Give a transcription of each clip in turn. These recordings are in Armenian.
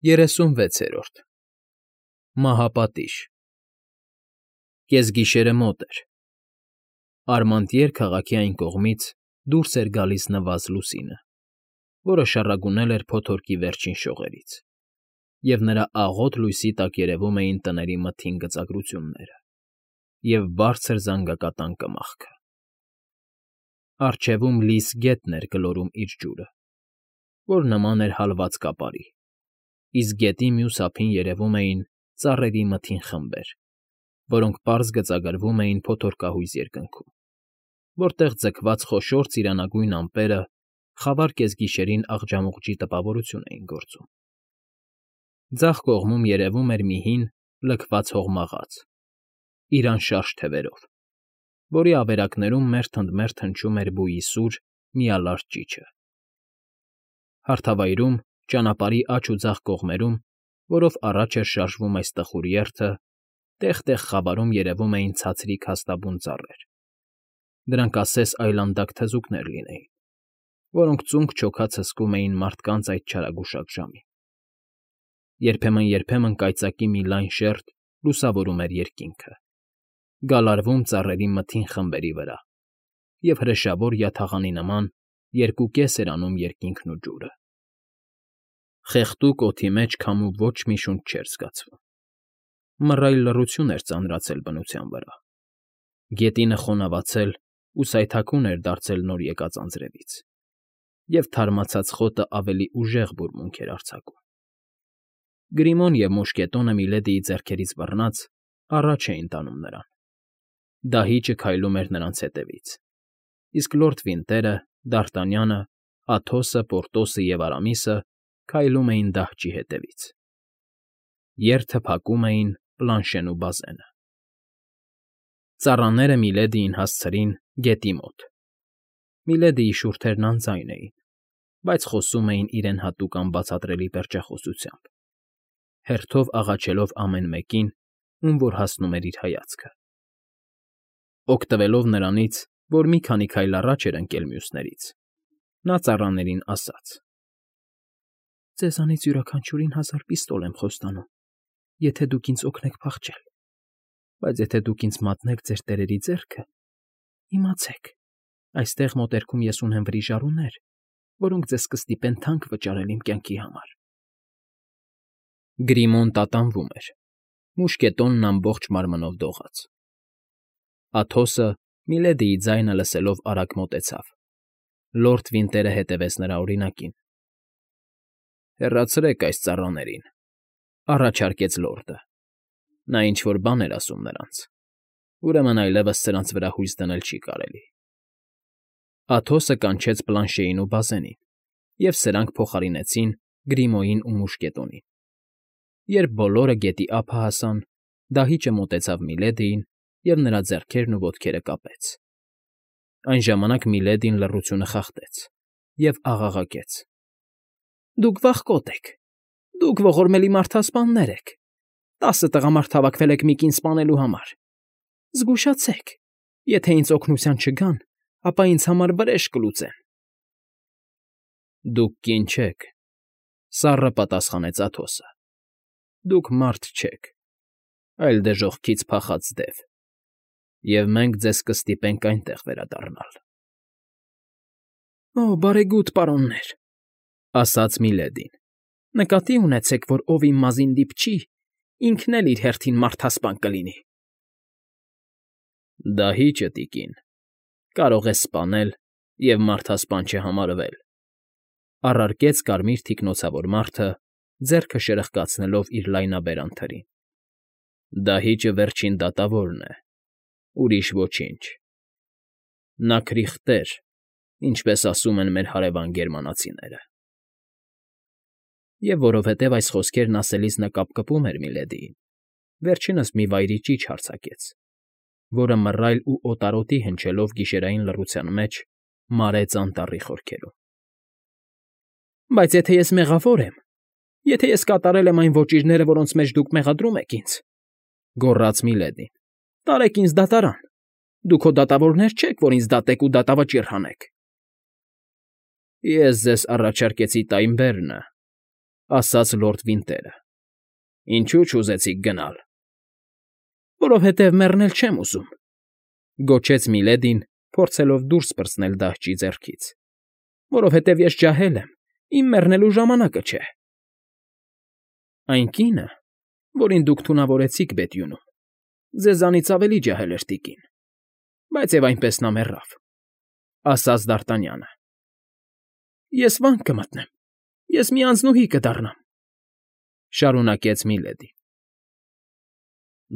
36-րդ Մահապատիժ Կեսգիշերը մոտ էր։ Արմանտիեր քաղաքի այն կողմից դուրս էր գալիս նվազ լուսինը, որը շառագունել էր փոթորկի վերջին շողերից, և նրա աղոտ լույսի տակ երևում էին տների մթին գծագրությունները և բարձր զանգակատան կմախքը։ Առջևում լիս գետն էր գլորում իր ջուրը, որ նման էր հալված կապարի, իսկ գետի մյուս ափին երևում էին ծառերի մթին խմբեր, որոնք պարզ գծագրվում էին փոթորկահույզ երկնքում, որտեղ ձգված խոշոր ծիրանագույն ամպերը խավար կեսգիշերին աղջամուղջի տպավորություն էին գործում։ Ձախ կողմում երևում էր մի հին, լքված հողմաղաց, իր անշարժ թևերով, որի ավերակներում մերթ-ընդ-մերթ հնչում էր բույի սուր, միալարդ ճիչը։ Հարթավայրում, ճանապարհի աջ ու ձախ կողմերում, որով առաջ էր շարժվում այս տխուր երթը, տեղ֊տեղ խավարում երևում էին ցածրիկ հաստաբուն ծառեր. դրանք ասես այլանդակ թզուկներ լինեին, որոնք ծունկ-չոքած հսկում էին մարդկանց այդ չարագուշակ ժամին։ Երբեմն կայծակի մի լայն շերջ լուսավորում էր երկինքը, գալարվում ծառերի մթին խմբերի վրա, և հրեշավոր յաթաղանի նման երկու կես էր անում երկինքն ու ջուրը։ Խեղդուկ օդի մեջ քամու ոչ մի շունչ չէր զգացվում։ Մռայլ լռություն էր ծանրացել բնության վրա։ Գետինը խոնավացել ու սայթաքուն էր դարձել նոր եկած անձրևից, և թարմացած խոտը ավելի ուժեղ բուրմունք էր արձակում։ Գրիմոն և մուշկետոնը Միլեդիի ձեռքերից բռնած առաջ էին տանում նրան։ Դահիճը քայլում էր նրանց հետևից, իսկ լորդ Վինտերը, Դ'Արտանյանը, Աթոսը, Պորտոսը և Արամիսը քայլում էին դահճի հետևից։ Երթը փակում էին Պլանշեն ու Բազենը։ Ծառաները Միլեդիին հասցրին գետի մոտ։ Միլեդիի շուրթերն անձայն էին, բայց խոսում էին իրեն հատուկ անբացատրելի պերճախոսությամբ, հերթով աղաչելով ամեն մեկին, ում որ հասնում էր իր հայացքը։ Օգտվելով նրանից, որ մի քանի քայլ առաջ էր ընկել մյուսներից, նա ծառաներին ասաց. «Ձեզանից յուրաքանչյուրին 1000 պիստոլ եմ խոստանում, եթե դուք ինձ օգնեք փախչել, բայց եթե դուք ինձ մատնեք ձեր տերերի ձեռքը, իմացեք, այստեղ մոտերքում ես ունեմ վրիժառուներ, որոնք ձեզ կստիպեն թանկ վճարել իմ կյանքի համար»։ Գրիմոն տատանվում էր, մուշկետոնն ամբողջ մարմնով դողաց։ Աթոսը, Միլեդիի ձայնը լսելով արագ մոտեցավ։ Լորդ Վինտերը հետևեց նրա օրինակին։ «Հեռացրեք այս ծառաներին», առաջարկեց լորդը։ Նա ինչ֊որ բան էր ասում նրանց, ուրեմն այլևս սրանց վրա հույս դնել չի կարելի։ Աթոսը կանչեց Պլանշեին ու Բազենին, և սրանք փոխարինեցին Գրիմոյին ու մուշկետոնին։ Երբ բոլորը գետի ափը հասան, դահիճը մոտեցավ Միլեդիին և նրա ձեռքերն ու ոտքերը կապեց։ Այն ժամանակ Միլեդին լռությունը խախտեց և աղաղակեց. «Դուք վախկոտ եք, դուք ողորմելի մարդասպաններ եք, 10 տղամարդ հավաքվել եք մի կին սպանելու համար։ Զգուշացեք, եթե ինձ օգնության չգան, ապա ինձ համար վրեժ կլուծեն»։ «Դուք կին չեք,֊ սառը պատասխանեց Աթոսը,֊ դուք մարդ չեք, այլ դժոխքից փախած դև, և մենք ձեզ կստիպենք այնտեղ վերադառնալ»։ «Օ, բարեգութ պարոններ,֊ ասաց Միլեդին,֊ նկատի ունեցեք, որ ով իմ մազին դիպչի, ինքն էլ իր հերթին մարդասպան կլինի»։ «Դահիճը, տիկին, կարող է սպանել և մարդասպան չհամարվել,֊ առարկեց կարմիր թիկնոցավոր մարդը, ձեռքը շրխկացնելով իր լայնաբերան թրին։֊ Դահիճը վերջին դատավորն է, ուրիշ ոչինչ։ Նա քրիխտեր, ինչպես ասում են մեր հարևան գերմանացիները»։ Եվ որովհետև այս խոսքերն ասելիս նա կապկպում էր Միլեդիին, վերջինս մի վայրի ճիչ արձակեց, որը մռայլ ու օտարոտի հնչելով գիշերային լռության մեջ մարեց անտառի խորքերում։ «Բայց եթե ես մեղավոր եմ, եթե ես կատարել եմ այն ոճիրները, որոնց մեջ դուք մեղադրում եք ինձ,֊ գոռաց Միլեդին,֊ տարեք ինձ դատարան, դուք հո դատավորներ չեք, որ ինձ դատեք ու դատավճիռ հանեք»։ «Ես ձեզ առաջարկեցի Տայմբերնը, ասաց լորդ Վինտերը։ Ինչու՞ չուզեցիք գնալ։ Որովհետև մեռնել չեմ ուզում, գոչեց Միլեդին, փորձելով դուրս պրծնել դահճի ձեռքից։ Որովհետև ես ջահել եմ, իմ մեռնելու ժամանակը չէ։ Այն կինը, որին դուք թունավորեցիք Բեթյունում, ձեզանից ավելի ջահել էր տիկին, բայց և այնպես նա մեռավ, ասաց Դարտանյանը։ Ես վանք կմտնեմ, ես մի անձնուհի կդառնամ, շարունակեց Միլեդին։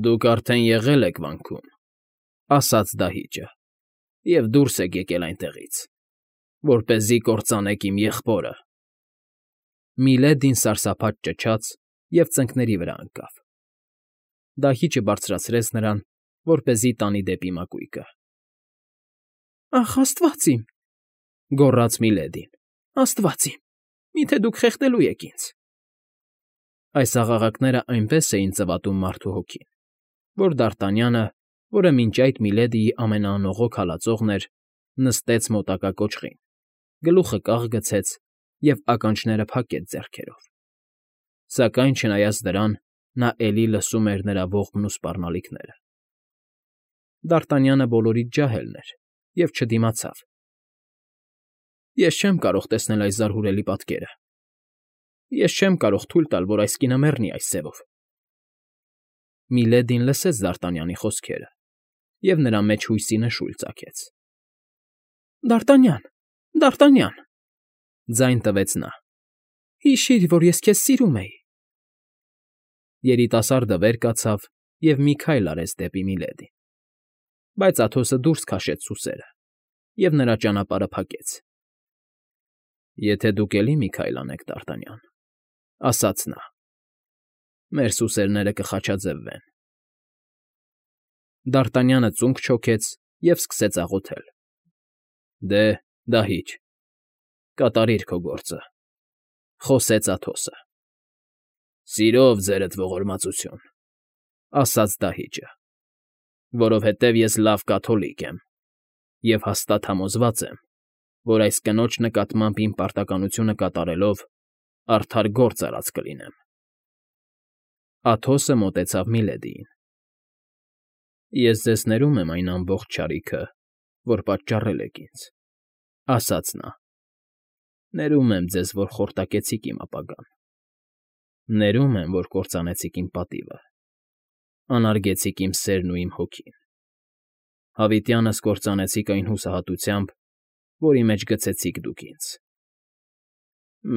Դուք արդեն եղել եք վանքում, ասաց դահիճը, և դուրս եք եկել այնտեղից, որպեսզի կործանեք իմ եղբորը։ Միլեդին սարսափած ճչաց և ծնկների վրա ընկավ։ Դահիճը բարձրացրեց նրան, որպեսզի տանի դեպի մակույկը։ Ախ, աստված իմ, գոռաց Միլեդին, աստված իմ, միթե դուք խեղդելու եք ինձ։ Այս աղաղակները այնպես էին ծվատում մարդու հոգին, որ Դարտանյանը, որը մինչ այդ Միլեդիի ամենաանողոք հալածողն էր, նստեց մոտակա կոճղին, գլուխը կաղ գցեց և ականջները փակեց ձեռքերով։ Սակայն, չնայած դրան, նա էլի լսում էր նրա ողբն ու սպառնալիքները։ Դարտանյանը բոլորից ջահելն էր և չդիմացավ։ Ես չեմ կարող տեսնել այս զարհուրելի պատկերը։ Ես չեմ կարող թույլ տալ, որ այս կինը մեռնի այս ձևով։ Միլեդին լսեց Դարտանյանի խոսքերը և նրա մեջ հույսի նշույլ ծագեց։ Դարտանյան, Դարտանյան, ձայն տվեց նա, հիշիր, որ ես քեզ սիրում էի։ Երիտասարդը վեր կացավ և մի քայլ արեց դեպի Միլեդին, բայց Աթոսը դուրս քաշեց սուսերը և նրա ճանապարհը փակեց։ Եթե դուք էլի մի քայլ անեք, Դարտանյան, ասաց նա, մեր սուսերները կխաչաձևվեն։ Դարտանյանը ծունկ չոքեց և սկսեց աղոթել. Դե, դահիճ, կատարիր քո գործը, խոսեց Աթոսը։ Սիրով ձերդ ողորմածություն, ասաց դահիճը, որովհետև ես լավ կաթոլիկ եմ և հաստատ համոզված եմ, որ այս կնոջ նկատմամբ իմ պարտականությունը կատարելով արդար գործ արած կլինեմ։ Աթոսը մոտեցավ Միլեդիին։ Ես ձեզ ներում եմ այն ամբողջ չարիքը, որ պատճառել եք ինձ, ասաց նա։ Ներում եմ ձեզ, որ խորտակեցիք իմ ապագան։ Ներում եմ, որ կործանեցիք իմ պատիվը, անարգեցիք իմ սերն ու իմ հոգին։ Հավիտյանս կործանեցիք այն հուսահատությամբ, որի մեջ գցեցիք դուք ինձ։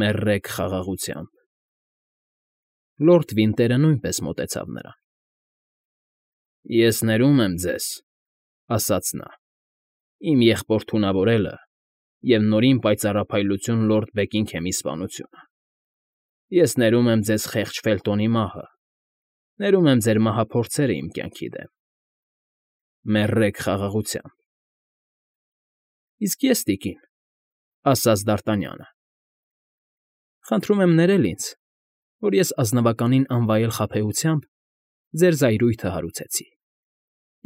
Մեռեք խաղաղությամբ։ Լորդ Վինտերը նույնպես մոտեցավ նրան։ Ես ներում եմ ձեզ, ասաց նա, իմ եղբոր թունավորելը և նորին պայծառափայլություն լորդ Բեքինգհեմի սպանությունը։ Ես ներում եմ ձեզ խեղճ Ֆելտոնի մահը, ներում եմ ձեր մահափորձերը իմ կյանքի դեմ։ Մեռեք խաղաղությամբ։ Իսկ ես, տիկին, ասաց Դարտանյանը, խնդրում եմ ներել ինձ, որ ես ազնվականին անվայել խաբեությամբ ձեր զայրույթը հարուցեցի։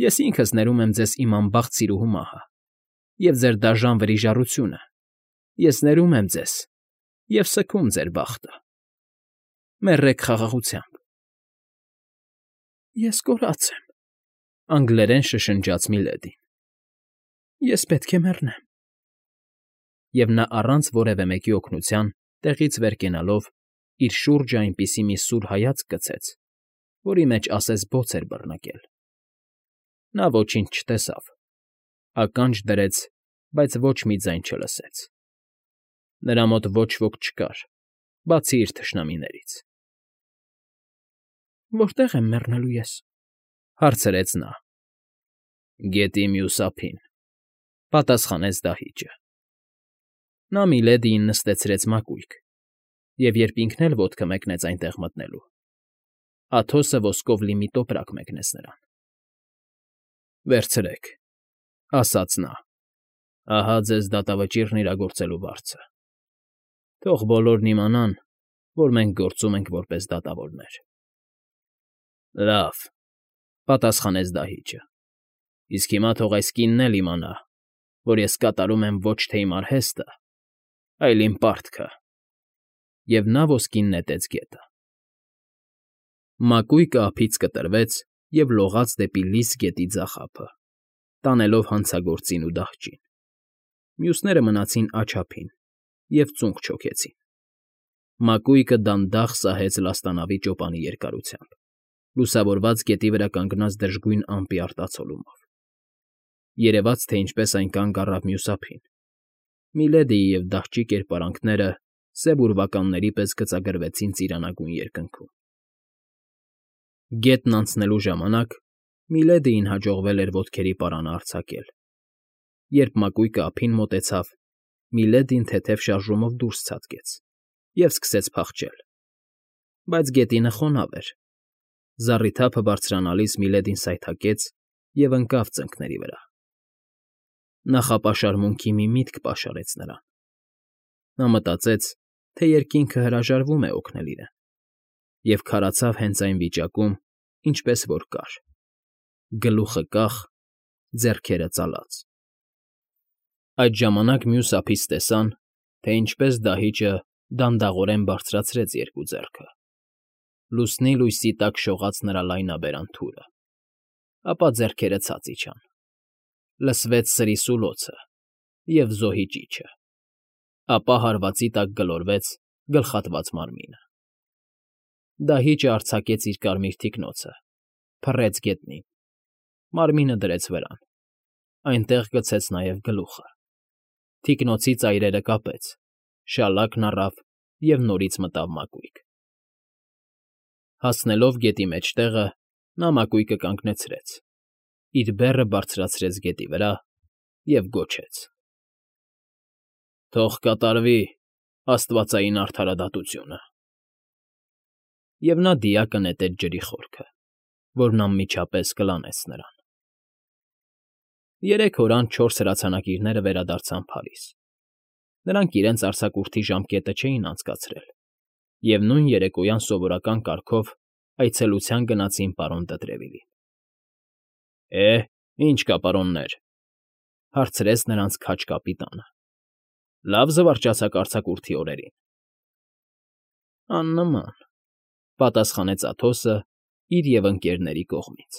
Ես ինքս ներում եմ ձեզ իմ անբախտ սիրուհու մահը և ձեր դաժան վրիժառությունը։ Ես ներում եմ ձեզ և սգում ձեր բախտը։ Մեռեք խաղաղությամբ։ Ես կորած եմ, անգլերեն շշնջաց Միլեդին։ Ես պետք է մեռնեմ։ Եվ նա առանց որևէ մեկի օգնության տեղից վեր կենալով իր շուրջը այնպիսի մի սուր հայացք գցեց, որի մեջ ասես բոց էր բռնկել։ Նա ոչինչ չտեսավ, ականջ դրեց, բայց ոչ մի ձայն չլսեց։ Նրա մոտ ոչ ոք չկար, բացի իր թշնամիներից։ Որտե՞ղ եմ մեռնելու ես, հարցրեց նա։ Գետի մյուս ափին, պատասխանեց դահիճը։ Նա Միլեդիին նստեցրեց մակույկ, և երբ ինքն էլ ոտքը մեկնեց այնտեղ մտնելու, Աթոսը ոսկով լի մի տոպրակ մեկնեց նրան։ Վերցրեք, ասաց նա, ահա ձեզ դատավճիռն իրագործելու վարձը։ Թող բոլորն իմանան, որ մենք գործում ենք որպես դատավորներ։ Լավ, պատասխանեց դահիճը, իսկ հիմա թող այս կինն էլ իմանա, որ ես կատարում եմ ոչ թե իմ արհեստը, այլ իմ պարտքը։ և նա ոսկին նետեց գետը։ Մակույկը ափից կտրվեց և լողաց դեպի լիս գետի ձախ ափը, տանելով հանցագործին ու դահճին։ Մյուսները մնացին աջ ափին և ծունկ չոքեցին։ Մակույկը դանդաղ սահեց լաստանավի ճոպանի երկարությամբ, լուսավորված գետի վրա կանգնած դժգույն ամպի արտացոլումով։ Երևաց, թե ինչպես այն կանգ առավ մյուս ափին։ Միլեդիի և դահճի կերպարանքները սև ուրվականների պես գծագրվեցին ծիրանագույն երկնքում։ Գետն անցնելու ժամանակ Միլեդիին հաջողվել էր ոտքերի պարանը արձակել։ Երբ մակույկը ափին մոտեցավ, Միլեդին թեթև շարժումով դուրս ցատկեց և սկսեց փախչել։ Բայց գետինը խոնավ էր։ Զառիթափը բարձրանալիս Միլեդին սայթաքեց և ընկավ ծնկների վրա։ Նախապաշարմունքի մի միտք պաշարեց նրան։ Նա մտածեց, թե երկինքը հրաժարվում է օգնել իրեն, և քարացավ հենց այն վիճակում, ինչպես որ կար՝ գլուխը կախ, ձեռքերը ծալած։ Այդ ժամանակ մյուս ափից տեսան, թե ինչպես դահիճը դանդաղորեն բարձրացրեց երկու ձեռքը։ Լուսնի լույսի տակ շողաց նրա լայնաբերան թուրը, ապա ձեռքերը ցած իջան։ Լսվեց սրիսուլոցը և զոհի ճիչը, ապա հարվածի տակ գլորվեց գլխատված մարմինը։ Դահիճը արձակեց իր կարմիր թիկնոցը, փռեց գետնին, մարմինը դրեց վրան, այնտեղ գցեց նաև գլուխը։ Թիկնոցի ծայրերը կապեց, շալակն առավ և նորից մտավ մակույկ։ Հասնելով գետի մեջտեղը՝ նա մակույկը կանգնեցրեց, իր բեռը բարձրացրեց գետի վրա և գոչեց. «Թող կատարվի աստվածային արդարադատությունը»։ Եվ նա դիակը նետեց ջրի խորքը, որն անմիջապես կլանեց նրան։ 3 օր անց 4 հրացանակիրները վերադարձան Փարիզ։ Նրանք իրենց արձակուրդի ժամկետը չէին անցկացրել և նույն երեկոյան սովորական կարգով այցելության գնացին պարոն Դետրևիլին։ Ինչ կա, պարոններ,֊ հարցրեց նրանց քաջ կապիտանը։֊ Լավ զվարճացաք արձակուրդի օրերին։ ֊ Աննման,֊ պատասխանեց Աթոսը իր և ընկերների կողմից։